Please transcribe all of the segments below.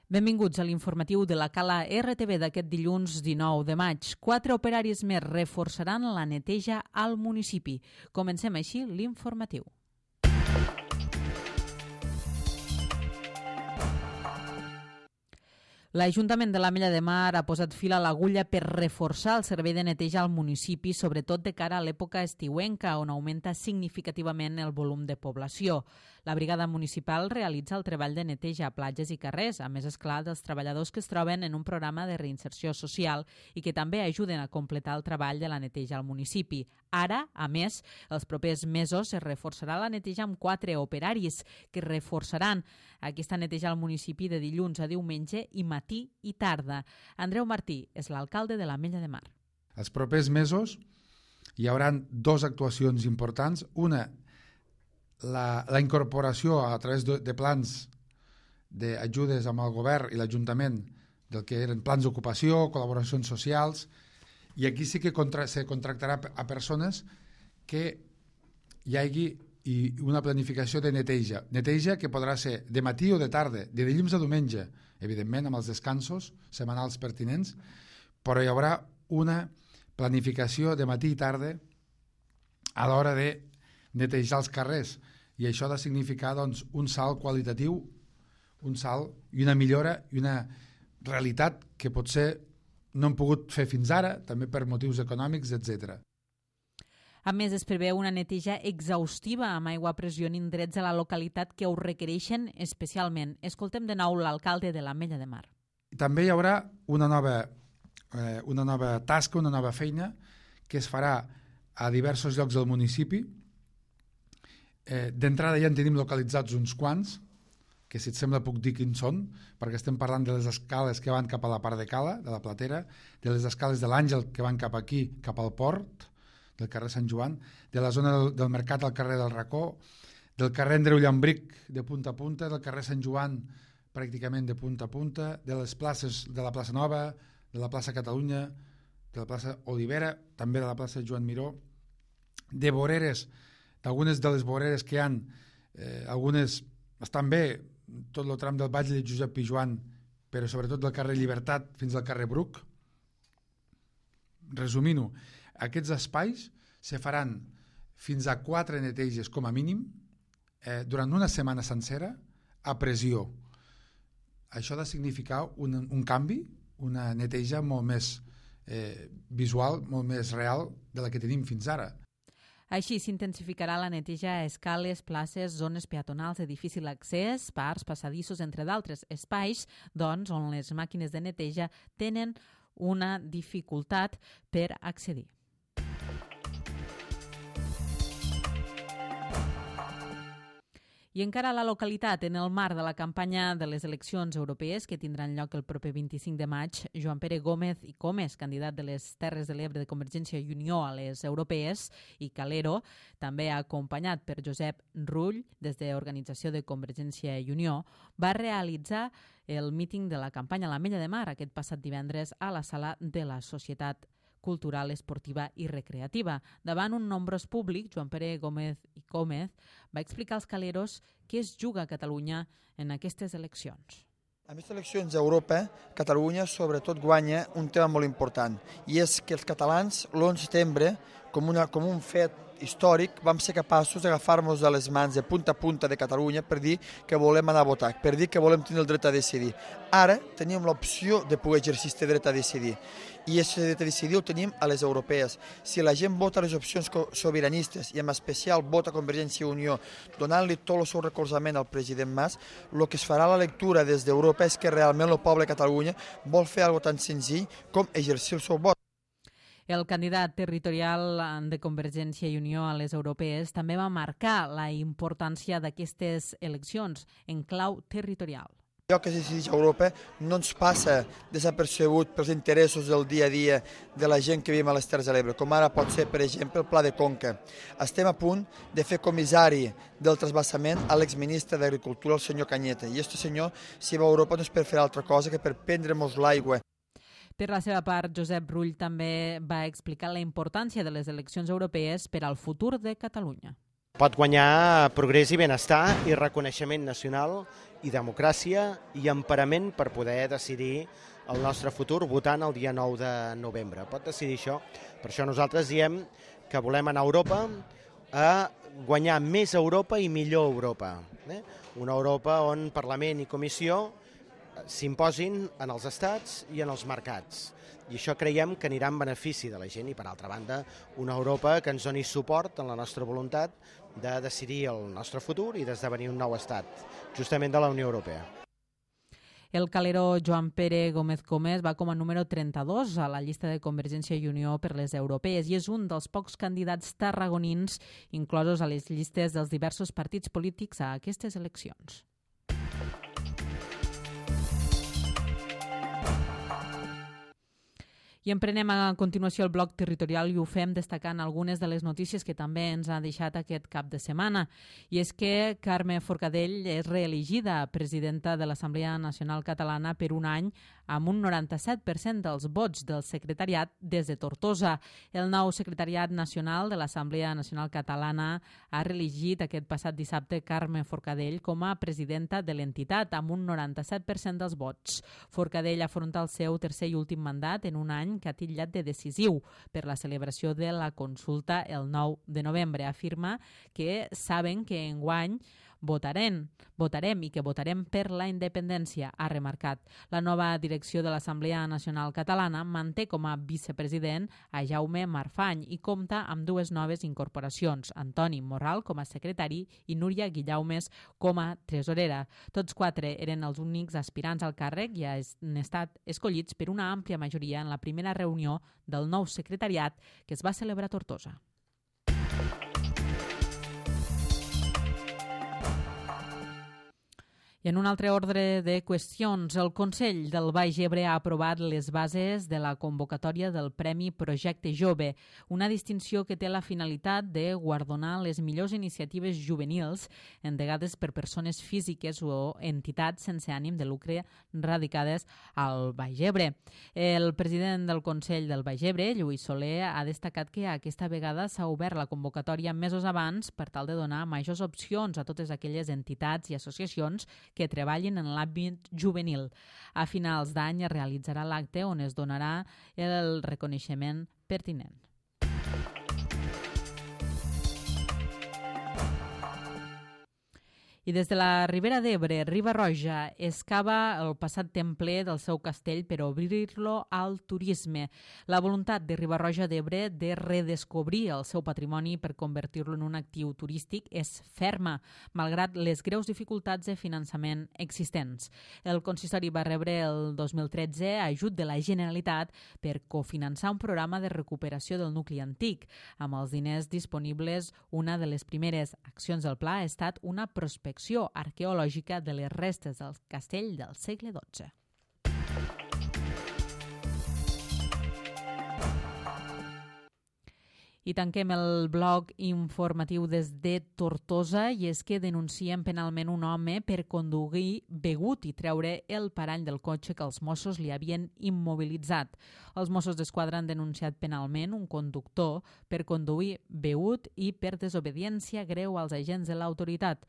Benvinguts a l'informatiu de la Cala RTV d'aquest dilluns 19 de maig. 4 operaris més reforçaran la neteja al municipi. Comencem així l'informatiu. L'Ajuntament de l'Ametlla de Mar ha posat fil a l'agulla per reforçar el servei de neteja al municipi, sobretot de cara a l'època estiuenca, on augmenta significativament el volum de població. La brigada municipal realitza el treball de neteja a platges i carrers, a més, esclar, dels treballadors que es troben en un programa de reinserció social i que també ajuden a completar el treball de la neteja al municipi. Ara, a més, els propers mesos es reforçarà la neteja amb 4 operaris que reforçaran aquesta neteja al municipi de dilluns a diumenge i matí i tarda. Andreu Martí és l'alcalde de l'Ametlla de Mar. Els propers mesos hi haurà 2 actuacions importants. Una, la incorporació a través de plans d'ajudes amb el govern i l'Ajuntament del que eren plans d'ocupació, col·laboracions socials, i aquí sí que se contractarà a persones que hi hagi una planificació de neteja. Neteja que podrà ser de matí o de tarda, de dilluns a diumenge, evidentment amb els descansos setmanals pertinents, però hi haurà una planificació de matí i tarda a l'hora de netejar els carrers, i això ha de significar doncs, un salt qualitatiu, un salt i una millora i una realitat que potser no hem pogut fer fins ara, també per motius econòmics, etc. A més, es preveu una neteja exhaustiva amb aigua a pressió en indrets a la localitat que ho requereixen especialment. Escoltem de nou l'alcalde de l'Ametlla de Mar. També hi haurà una nova tasca, una nova feina que es farà a diversos llocs del municipi. D'entrada ja en tenim localitzats uns quants, que si et sembla puc dir quins són, perquè estem parlant de les escales que van cap a la part de Cala, de la Platera, de les escales de l'Àngel que van cap aquí, cap al port, del carrer Sant Joan, de la zona del Mercat al carrer del Racó, del carrer Andreu Llambric de punta a punta, del carrer Sant Joan pràcticament de punta a punta, de les places de la plaça Nova, de la plaça Catalunya, de la plaça Olivera, també de la plaça Joan Miró, de voreres, d'algunes de les voreres que hi ha, algunes estan bé, tot el tram del Batlle de Josep Pijoan, però sobretot del carrer Llibertat fins al carrer Bruc. Resumint-ho, aquests espais se faran fins a 4 neteges com a mínim durant una setmana sencera a pressió. Això ha de significar un canvi, una neteja molt més visual, molt més real de la que tenim fins ara. Així s'intensificarà la neteja a escales, places, zones peatonals de difícil accés, parcs, passadissos, entre d'altres espais, doncs, on les màquines de neteja tenen una dificultat per accedir. I encara a la localitat, en el marc de la campanya de les eleccions europees que tindran lloc el proper 25 de maig, Joan Pere Gómez i Comes, candidat de les Terres de l'Ebre de Convergència i Unió a les europees, i Calero, també acompanyat per Josep Rull, des de l'organització de Convergència i Unió, va realitzar el míting de la campanya a l'Ametlla de Mar aquest passat divendres a la sala de la Societat Cultural, Esportiva i Recreativa. Davant un nombrós públic, Joan Pere Gómez i Gómez va explicar als caleros què es juga a Catalunya en aquestes eleccions. En aquestes eleccions a Europa, Catalunya sobretot guanya un tema molt important, i és que els catalans l'11 de setembre, com un fet històric, vam ser capaços d'agafar-nos a les mans de punta a punta de Catalunya per dir que volem anar a votar, per dir que volem tenir el dret a decidir. Ara tenim l'opció de poder exercir aquest dret a decidir, i aquest dret a decidir ho tenim a les europees. Si la gent vota les opcions sobiranistes i en especial vota Convergència i Unió, donant-li tot el seu recolzament al president Mas, el que es farà la lectura des d'Europa és que realment el poble de Catalunya vol fer alguna cosa tan senzill com exercir el seu vot. El candidat territorial de Convergència i Unió a les europees també va marcar la importància d'aquestes eleccions en clau territorial. Allò que es decideix a Europa no ens passa desapercebut pels interessos del dia a dia de la gent que vivim a les Terres de l'Ebre, com ara pot ser, per exemple, el Pla de Conca. Estem a punt de fer comissari del trasbassament a l'exministre d'Agricultura, el senyor Cañete, i aquest senyor, si va a Europa, no és per fer altra cosa que per prendre'ns l'aigua. Per la seva part, Josep Rull també va explicar la importància de les eleccions europees per al futur de Catalunya. Pot guanyar progrés i benestar i reconeixement nacional i democràcia i emparament per poder decidir el nostre futur votant el dia 9 de novembre. Pot decidir això. Per això nosaltres diem que volem anar a Europa a guanyar més Europa i millor Europa. Una Europa on Parlament i Comissió s'imposin en els estats i en els mercats. I això creiem que anirà en benefici de la gent i, per altra banda, una Europa que ens doni suport en la nostra voluntat de decidir el nostre futur i d'esdevenir un nou estat, justament de la Unió Europea. El calero Joan Pere Gómez Gómez va com a número 32 a la llista de Convergència i Unió per les europees i és un dels pocs candidats tarragonins inclosos a les llistes dels diversos partits polítics a aquestes eleccions. I emprenem a continuació el bloc territorial i ho fem destacant algunes de les notícies que també ens ha deixat aquest cap de setmana. I és que Carme Forcadell és reelegida presidenta de l'Assemblea Nacional Catalana per un any amb un 97% dels vots del secretariat des de Tortosa. El nou secretariat nacional de l'Assemblea Nacional Catalana ha reelegit aquest passat dissabte Carme Forcadell com a presidenta de l'entitat amb un 97% dels vots. Forcadell afronta el seu tercer i últim mandat en un any que ha titllat de decisiu per la celebració de la consulta el 9 de novembre. Afirma que saben que enguany votarem i que votarem per la independència, ha remarcat. La nova direcció de l'Assemblea Nacional Catalana manté com a vicepresident a Jaume Marfany i compta amb dues noves incorporacions, Antoni Morral com a secretari i Núria Guillaumes com a tresorera. Tots quatre eren els únics aspirants al càrrec i han estat escollits per una àmplia majoria en la primera reunió del nou secretariat que es va celebrar a Tortosa. I en un altre ordre de qüestions, el Consell del Baix Ebre ha aprovat les bases de la convocatòria del Premi Projecte Jove, una distinció que té la finalitat de guardonar les millors iniciatives juvenils endegades per persones físiques o entitats sense ànim de lucre radicades al Baix Ebre. El president del Consell del Baix Ebre, Lluís Soler, ha destacat que aquesta vegada s'ha obert la convocatòria mesos abans per tal de donar majors opcions a totes aquelles entitats i associacions que treballin en l'àmbit juvenil. A finals d'any es realitzarà l'acte on es donarà el reconeixement pertinent. I des de la Ribera d'Ebre, Riba-roja excava el passat templer del seu castell per obrir-lo al turisme. La voluntat de Riba-roja d'Ebre de redescobrir el seu patrimoni per convertir-lo en un actiu turístic és ferma, malgrat les greus dificultats de finançament existents. El consistori va rebre el 2013 ajut de la Generalitat per cofinançar un programa de recuperació del nucli antic. Amb els diners disponibles, una de les primeres accions del pla ha estat una prospecció arqueològica de les restes del castell del segle XII. I tanquem el bloc informatiu des de Tortosa i és que denuncien penalment un home per conduir begut i treure el parany del cotxe que els Mossos li havien immobilitzat. Els Mossos d'Esquadra han denunciat penalment un conductor per conduir begut i per desobediència greu als agents de l'autoritat.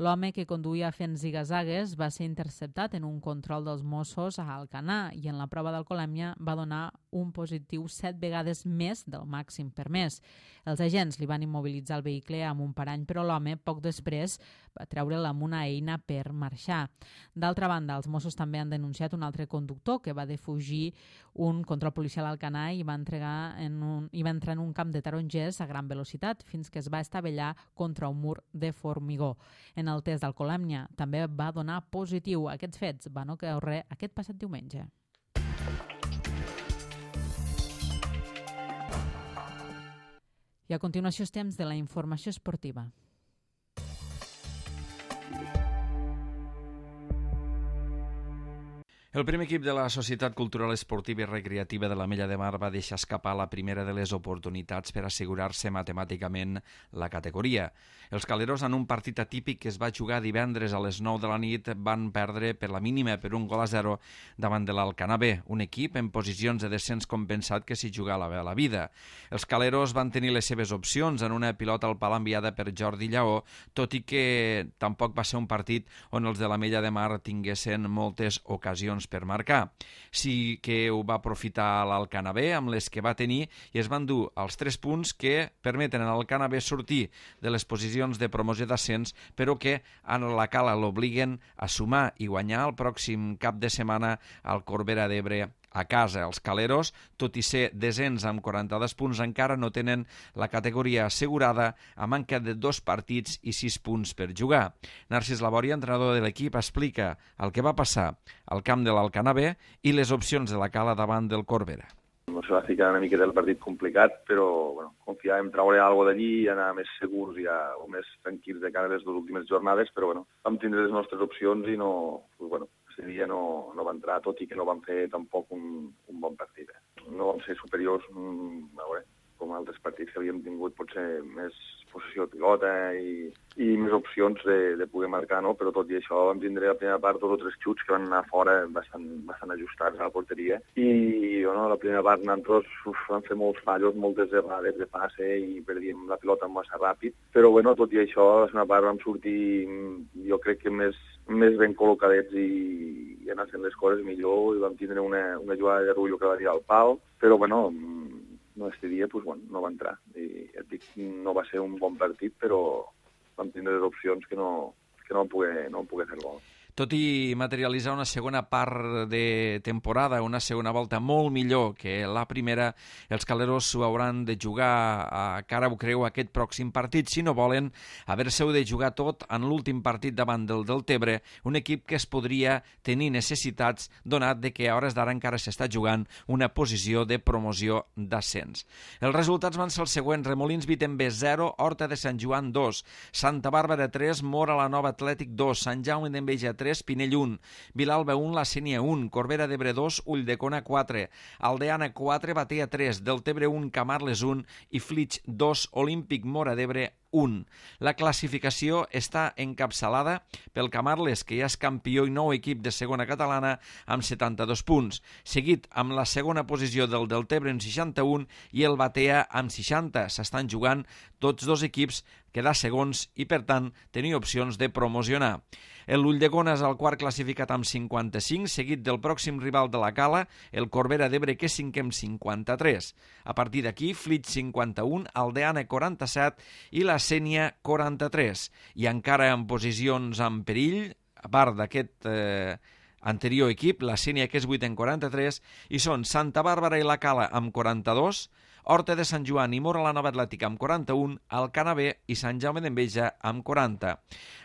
L'home que conduïa fent zigazagues va ser interceptat en un control dels Mossos a Alcanar i en la prova d'alcoholèmia va donar un positiu 7 vegades més del màxim permès. Els agents li van immobilitzar el vehicle amb un parany, però l'home, poc després, va treure'l amb una eina per marxar. D'altra banda, els Mossos també han denunciat un altre conductor que va defugir un control policial a Alcanar i va entrar en un camp de tarongers a gran velocitat fins que es va estavellar contra un mur de formigó. En el test d'alcoholèmia també va donar positiu. Aquests fets van ocorrer aquest passat diumenge. I a continuació és temps de la informació esportiva. El primer equip de la Societat Cultural Esportiva i Recreativa de l'Ametlla de Mar va deixar escapar la primera de les oportunitats per assegurar-se matemàticament la categoria. Els caleros, en un partit atípic que es va jugar divendres a les 9 de la nit, van perdre per la mínima per 1-0 davant de l'Alcanar B, un equip en posicions de descens compensat que s'hi jugava la vida. Els caleros van tenir les seves opcions en una pilota al pal enviada per Jordi Lleó, tot i que tampoc va ser un partit on els de l'Ametlla de Mar tinguessin moltes ocasions per marcar. Sí que ho va aprofitar l'Alcanar B amb les que va tenir i es van dur els 3 punts que permeten a l'Alcanar B sortir de les posicions de promoció d'ascens, però que a la Cala l'obliguen a sumar i guanyar el pròxim cap de setmana al Corbera d'Ebre a casa. Els caleros, tot i ser desens amb 42 punts, encara no tenen la categoria assegurada a manca de 2 partits i 6 punts per jugar. Narcís Labòria, entrenador de l'equip, explica el que va passar al camp de l'Alcanar B i les opcions de la Cala davant del Corbera. No se va ficar una miqueta el partit complicat, però confiàvem en treure alguna d'allí i anar més segurs o més tranquils de cara a les 2 últimes jornades, però vam tindre les nostres opcions i aquest dia no va entrar, tot i que no vam fer tampoc un bon partit. No vam ser superiors, com altres partits que havíem tingut, potser més possessió de pilota i més opcions de poder marcar, no? Però tot i això vam tindre la primera part 2 o 3 xuts que van anar fora bastant ajustats a la porteria i la primera part nosaltres vam fer molts fallos, moltes errades de passe i perdíem la pilota massa ràpid, però tot i això la segona part vam sortir jo crec que més ben col·locadets i anar fent les coses millor i vam tindre una jugada de Rullo que va tirar al pal, però aquest dia no va entrar. I et dic, no va ser un bon partit, però vam tindre les opcions que no vam poder fer gol. Tot i materialitzar una segona part de temporada, una segona volta molt millor que la primera, els caleros s'ho hauran de jugar a cara o creu aquest pròxim partit, si no volen haver-se-ho de jugar tot en l'últim partit davant del Deltebre, un equip que es podria tenir necessitats, donat de que a hores d'ara encara s'està jugant una posició de promoció d'ascens. Els resultats van ser els següents: Remolins Vitember 0, Horta de Sant Joan 2, Santa Bàrbara 3, Mora la Nova Atlètic 2, Sant Jaume d'Enveja 3, Pinell 1, Vilalba 1, La Sénia 1, Corbera d'Ebre 2, Ulldecona 4, Aldeana 4, Batea 3, Deltebre 1, Camarles 1 i Flix 2, Olímpic Mora d'Ebre 1. La classificació està encapçalada pel Camarles, que ja és campió i nou equip de segona catalana amb 72 punts, seguit amb la segona posició del Deltebre amb 61 i el Batea amb 60. S'estan jugant tots 2 equips quedar segons i, per tant, tenir opcions de promocionar. L'Ulldecona és el quart classificat amb 55, seguit del pròxim rival de la Cala, el Corbera d'Ebre, que és 5è amb 53. A partir d'aquí, Flix 51, Aldeana 47 i la Sénia 43. I encara en posicions en perill, a part d'aquest anterior equip, la Sénia, que és 8 en 43, i són Santa Bàrbara i la Cala amb 42, Horta de Sant Joan i Mora la Nova Atlètica amb 41, Alcanar B i Sant Jaume d'Enveja amb 40.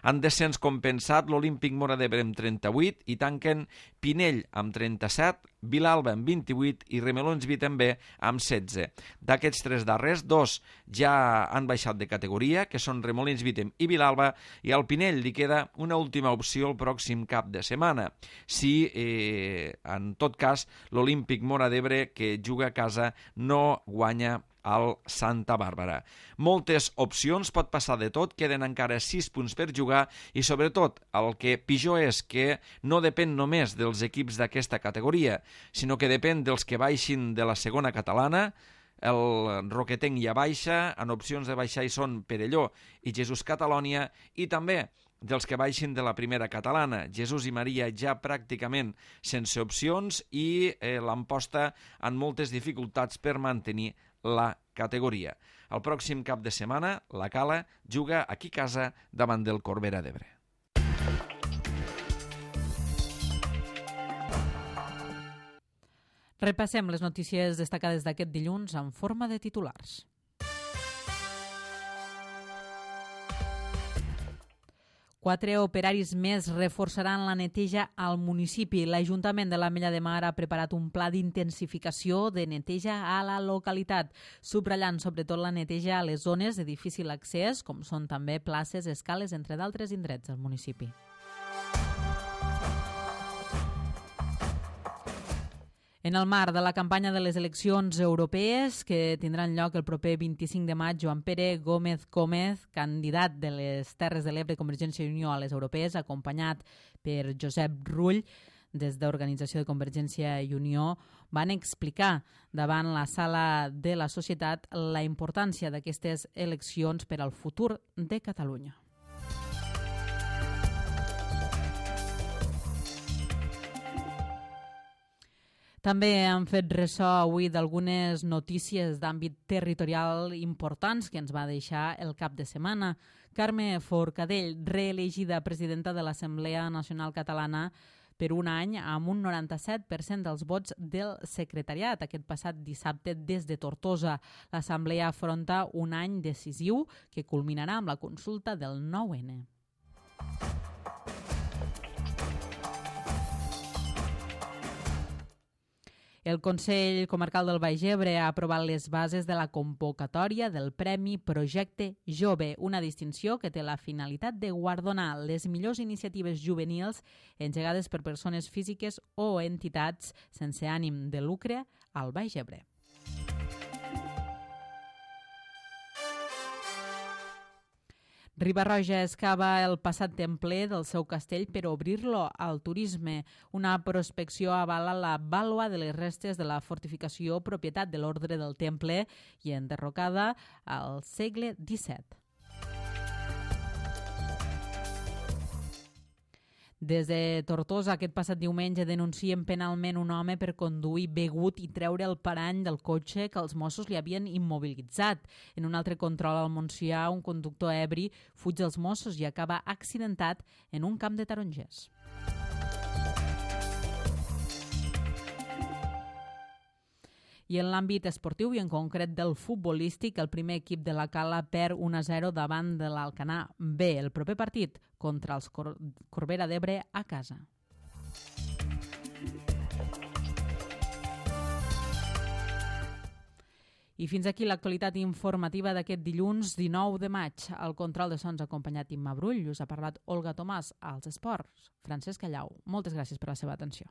En descens compensat, l'Olímpic Mora d'Ebre amb 38 i tanquen Pinell amb 37, Vilalba amb 28 i Remolins Vitember amb 16. D'aquests 3 darrers, 2 ja han baixat de categoria, que són Remolins Vitem i Vilalba, i al Pinell li queda una última opció el pròxim cap de setmana. Si, en tot cas, l'Olímpic Mora d'Ebre, que juga a casa, no guanya al Santa Bàrbara. Moltes opcions, pot passar de tot, queden encara 6 punts per jugar i, sobretot, el que pitjor és que no depèn només dels equips d'aquesta categoria, sinó que depèn dels que baixin de la segona catalana. El Roquetenc ja baixa, en opcions de baixar hi són Perelló i Jesús Catalònia, i també dels que baixin de la primera catalana, Jesús i Maria ja pràcticament sense opcions i l'emposta en moltes dificultats per mantenir la categoria. El pròxim cap de setmana, la Cala juga aquí a casa davant del Corbera d'Ebre. Repassem les notícies destacades d'aquest dilluns en forma de titulars. 4 operaris més reforçaran la neteja al municipi. L'Ajuntament de l'Ametlla de Mar ha preparat un pla d'intensificació de neteja a la localitat, subratllant sobretot la neteja a les zones de difícil accés, com són també places, escales, entre d'altres indrets del municipi. En el marc de la campanya de les eleccions europees, que tindran lloc el proper 25 de maig, Joan Pere Gómez Gómez, candidat de les Terres de l'Ebre Convergència i Unió a les europees, acompanyat per Josep Rull, des d'Organització de Convergència i Unió, van explicar davant la sala de la societat la importància d'aquestes eleccions per al futur de Catalunya. També han fet ressò avui d'algunes notícies d'àmbit territorial importants que ens va deixar el cap de setmana. Carme Forcadell, reelegida presidenta de l'Assemblea Nacional Catalana per un any amb un 97% dels vots del secretariat. Aquest passat dissabte des de Tortosa, l'Assemblea afronta un any decisiu que culminarà amb la consulta del 9N. El Consell Comarcal del Baix Ebre ha aprovat les bases de la convocatòria del Premi Projecte Jove, una distinció que té la finalitat de guardonar les millors iniciatives juvenils engegades per persones físiques o entitats sense ànim de lucre al Baix Ebre. Riba-roja excava el passat templer del seu castell per obrir-lo al turisme. Una prospecció avala la vàlua de les restes de la fortificació propietat de l'ordre del temple i enderrocada al segle XVII. Des de Tortosa, aquest passat diumenge, denuncien penalment un home per conduir begut i treure el parany del cotxe que els Mossos li havien immobilitzat. En un altre control al Montsià, un conductor ebri fuig dels Mossos i acaba accidentat en un camp de tarongers. I en l'àmbit esportiu i en concret del futbolístic, el primer equip de la Cala perd 1-0 davant de l'Alcanar B. El proper partit contra els Corbera d'Ebre a casa. I fins aquí l'actualitat informativa d'aquest dilluns 19 de maig. Al control de sons acompanyat Imma Brull, us ha parlat Olga Tomàs. Als esports, Francesc Callau. Moltes gràcies per la seva atenció.